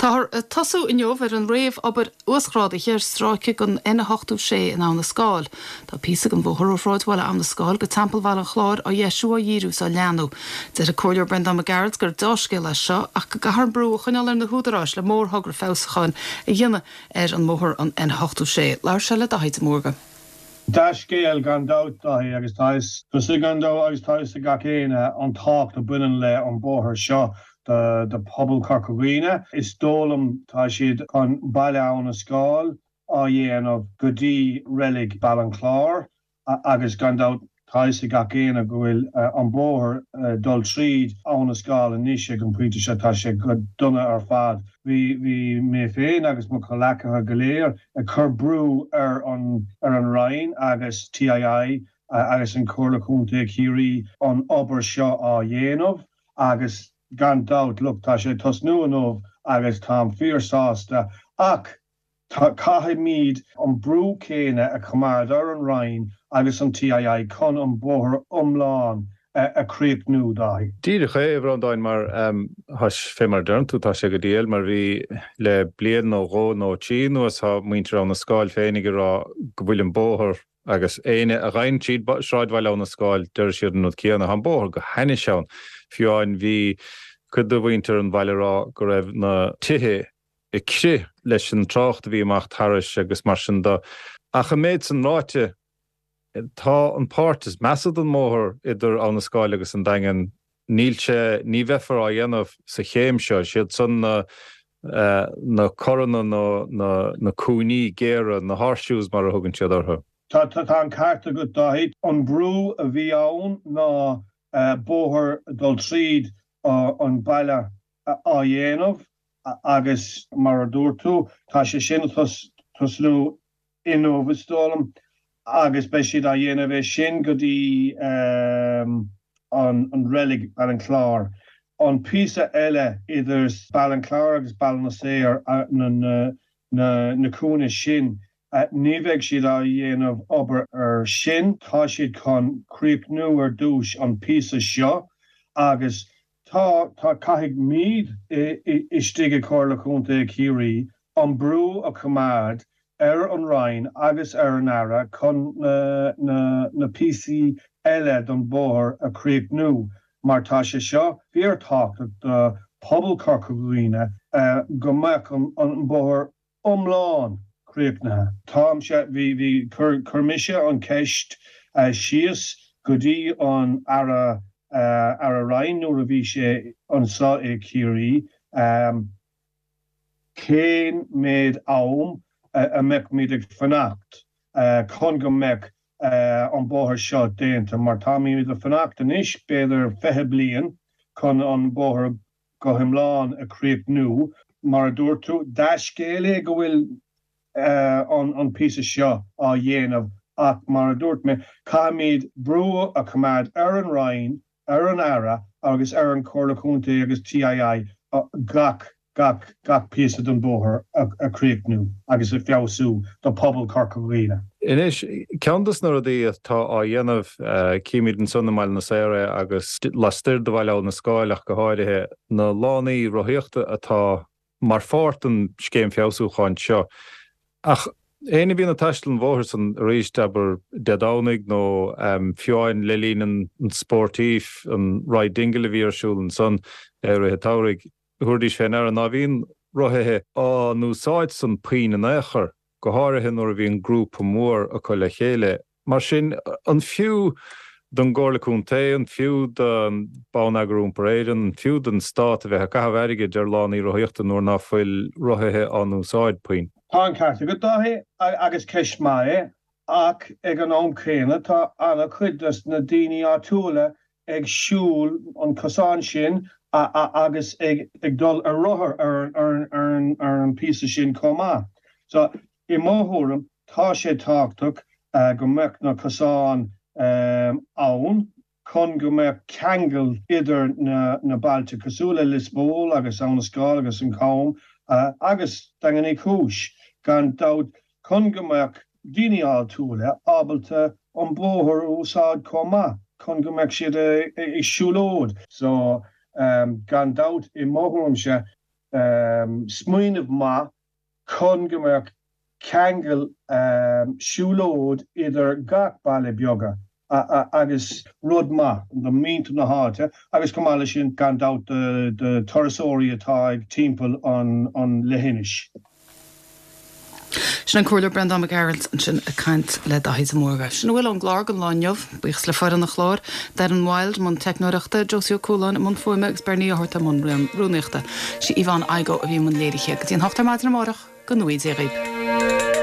Táthar ag tosú inniu ar an réamh-obair uasghrádaithe ar stráice den N86 in Abha na Scáil. Tá píosa den bhóthar ó shráidbhaile Abha na Scáil go Teampall Bhaile an Chláir á dheisiú, á dhíriú is á leathnú. Deir an Comhairleoir Breandán Mac Gearailt gur deá-scéal é seo ach go gcaithfear an brú a choinneáil ar na húdaráis le mórthogra feabhsúcháin a dhéanamh ar an mbóthar an N86. Labhair sé le Daithí de Mórdha. Dea-scéal gan dabht, Daithí, agus tá fhios gan dabht agus tá fhios ag gach éinne an tábhacht a bhaineann le an bóthar seo do phobal Chorca Dhuibhne. Is dóigh liom tá siad chun Baile Abha na Scáil á dhéanamh go dtí reilig Baile an Chláir agus gan dabht tá fhios ag gach éinne go bhfuil an bóthar dul tríd Abha na Scáil anois ag an pointe seo, tá sé go dona ar fad. Bhí bhí mé féin agus mo chomhleacaithe go léir ag cur brú ar an ar an Roinn agus TII agus an Comhairle Chontae Chiarraí an obair seo á dhéanamh agus gan dabht look tá sé ag tosnú inniu agus táim fíor sásta ach caithfimid an brú céanna a choimeád ar an Roinn agus an TII chun an bóthar iomlán a chríochnú, Dáithí. Díreach é, a Bhreandáin, mar tá fé mar a deireann tú, tá sé go diail, mar bhí le bliain nó dhó nó trí anuas, tá muintir Abha na Scáil féinig ag rá go bhfuil an bóthar, agus éinne a ghabhann tríd sráidbhaile Abha na Scáil, deir siad an rud céanna, tá an bóthar go hainnis ann. Fiú amháin bhí cuid de mhuintir an bhaile ag rá go raibh na tithe ag crith leis an trácht a bhí amach thairis agus mar sin de. Ach an méid san ráite, tá an páirt is measa den mbóthar idir Abha na Scáil agus an Daingean, níl sé, ní bheifear á dhéanamh sa chéim seo. Siad san na na coranna nó na na cúinní géara, na horseshoes mar a thugann siad orthu. Tá tá an ceart agat Dáithí. An brú a bhí ann ná bóthar dul tríd an baile á dhéanamh agus mar a dúirt tú, tá sé sin ag tosnú inniu is dóigh liom agus beidh siad á dhéanamh é sin go dtí an reilig Baile an Chláir. An píosa eile idir Baile an Chláir agus Baile na Saor, na cúinne sin, ní bheidh siad á dhéanamh obair ar sin, tá siad chun críochnú ar dtús an píosa seo agus Tá, tá, caithfimid istigh i Comhairle Chontae Chiarraí an brú a choimeád ar an Roinn agus ar an Aire chun na píosaí eile don bhóthar a chríochnú mar tá sé seo fíor-tábhachtach do phobal Chorca Dhuibhne go mbeadh an bóthar iomlán críochnaithe. Táimse, bhí, bhí, chuir, chuir mise an cheist síos go dtí an Aire, Aire Ryan nuair a bhí sé anseo i Ciarraí, cén méid am a mbeadh muid ag fanacht chun go mbeadh an bóthar seo déanta mar táimid ag fanacht anois b'fhéidir 20 bliain chun an bóthar go hiomlán a chríochnú. Mar a dúirt tú, dea-scéal é go bhfuil an píosa seo á dhéanamh ach mar a dúirt mé, caithfimid brú a choimeád ar an Roinn, ar an Aire agus ar an Chomhairle Contae agus TII gach gach gach píosa den bhóthar a chríochnú agus a feabhsú do phobal Chorca Dhuibhne. Anois, ceann dos na rudaí atá á dhéanamh, címid ansan i mBaile na Saor é agus lastoir de Bhaile Abha na Scáil ach go háirithe, na lánaí rothaíochta atá mar pháirt den scéim feabhsúcháin seo. Ach éinne a bhíonn ag taisteal an bhóthair san arís, abair Dé Domhnaigh nó fiú amháin le linn an sportif, an Ride Dingle a bhí ar siúl ansan i rith an tsamhraidh, thabharfaidís fé ndeara ná bhíonn rothaithe á n-úsáid san puinn in aon chor, go háirithe nuair a bhíonn grúpa mór acu le chéile. Mar sin, an fiú don gComhairle Contae, an fiú do Bonneagar Iompair Éireann, an fiú don Stát a bheith ag caitheamh airgid ar lánaí rothaíochta nuair ná fuil rothaithe á n-úsáid puinn? Tá an ceart agat, Dáithí, agus ceist maith é, ach ag an am céanna tá an-chuid dos na daoine áitiúla ag siúl an cosán sin agus ag dul ar rothar ar an píosa sin chomh maith. So, i mo thuairim, tá sé tábhachtach go mbeadh na cosáin ann chun go mbeadh ceangal idir na bailte cosúil le Lios Póil agus Abha na Scáil agus an Cam agus Daingean Uí Chúis, gan dabht, chun go mbeadh daoine áitiúla ábalta an bóthar a úsáid chomh maith chun go mbeadh siad ag siúlóid. So, gan dabht, i mo thuairimse. Smaoineamh maith chun go mbeadh ceangal siúlóid idir gach baile beaga agus rud maith do mhuintir na háite agus chomh maith leis sin gan dabht do turasóirí atá ag timpeall an leithinis. Sin an Comhairleoir Breandán Mac Gearailt ansin ag caint le Daithí de Mórdha. Sin a bhfuil ón gclár don lá inniu. Buíochas le foireann an chláir, Darren Wilde i mbun teicneoireachta, Josie Ó Cualáin i mbun fuaime agus Bernie Ó hEorta i mbun rúnaíochta. Sí Yvonne Igoe a bhí i mbun léirithe. Go dtí an hocht ar maidin amárach, go ngnóthaí Dia dhaoibh.